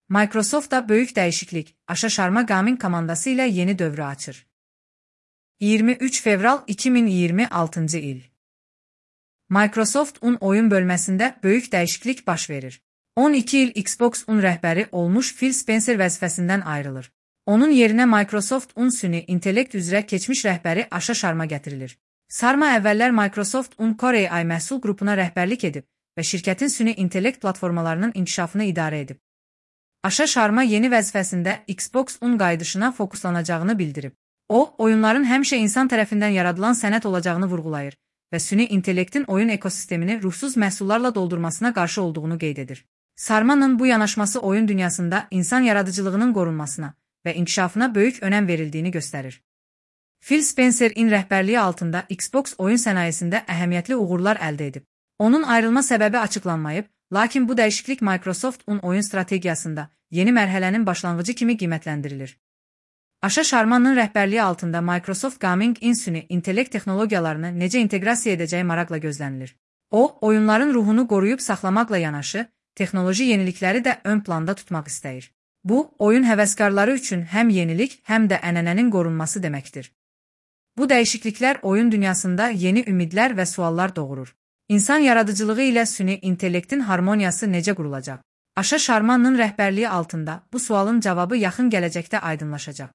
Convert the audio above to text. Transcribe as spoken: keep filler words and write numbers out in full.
Microsoft da böyük dəyişiklik, Aşa Sharma Gaming komandası ilə yeni dövrü açır. iyirmi üç fevral iki min iyirmi altıncı il. Microsoft-un oyun bölməsində böyük dəyişiklik baş verir. on iki il Xbox-un rəhbəri olmuş Phil Spencer vəzifəsindən ayrılır. Onun yerinə Microsoft-un süni intellekt üzrə keçmiş rəhbəri Aşa Sharma gətirilir. Sharma əvvəllər Microsoft-un Core A I məhsul qrupuna rəhbərlik edib və şirkətin süni intellekt platformalarının inkişafını idarə edib. Aşa Sharma yeni vəzifəsində Xbox-un qayıdışına fokuslanacağını bildirib. O, oyunların həmişə insan tərəfindən yaradılan sənət olacağını vurğulayır və süni intellektin oyun ekosistemini ruhsuz məhsullarla doldurmasına qarşı olduğunu qeyd edir. Sharma'nın bu yanaşması oyun dünyasında insan yaradıcılığının qorunmasına və inkişafına böyük önəm verildiyini göstərir. Phil Spencer-in rəhbərliyi altında Xbox oyun sənayesində əhəmiyyətli uğurlar əldə edib. Onun ayrılma səbəbi açıqlanmayıb, lakin bu dəyişiklik Microsoft-un oyun strategiyasında yeni mərhələnin başlanğıcı kimi qiymətləndirilir. Aşa Sharma'nın rəhbərliyi altında Microsoft Gaming-in süni intellekt texnologiyalarını necə inteqrasiya edəcəyi maraqla gözlənilir. O, oyunların ruhunu qoruyub saxlamaqla yanaşı, texnoloji yenilikləri də ön planda tutmaq istəyir. Bu, oyun həvəskarları üçün həm yenilik, həm də ənənənin qorunması deməkdir. Bu dəyişikliklər oyun dünyasında yeni ümidlər və suallar doğurur. İnsan yaradıcılığı ilə süni intellektin harmoniyası necə qurulacaq? Aşa Sharma'nın rəhbərliyi altında bu sualın cavabı yaxın gələcəkdə aydınlaşacaq.